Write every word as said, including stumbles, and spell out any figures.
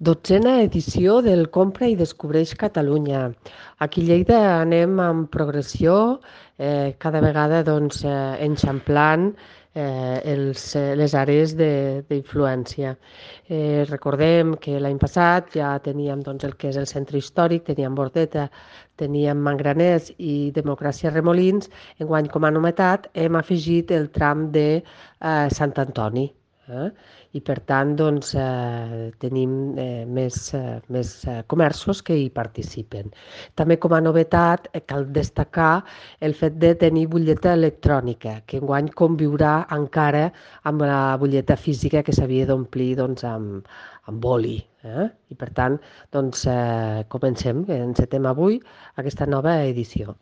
Dotzena edició del Compra i Descobreix Catalunya. Aquí a Lleida anem amb progressió, eh, cada vegada doncs, eh, enxamplant eh, els, eh, les àrees d'influència. Eh, recordem que l'any passat ja teníem doncs, el que és el centre històric, teníem Bordeta, teníem Mangraners i Democràcia Remolins. Enguany, com a novetat, hem afegit el tram de eh, Sant Antoni. Eh? I per tant doncs, eh, tenim eh, més, eh, més eh, comerços que hi participen. També com a novetat eh, cal destacar el fet de tenir butlleta electrònica, que enguany conviurà encara amb la butlleta física que s'havia d'omplir doncs, amb, amb boli. Eh? I per tant, doncs, eh, comencem, encetem avui aquesta nova edició.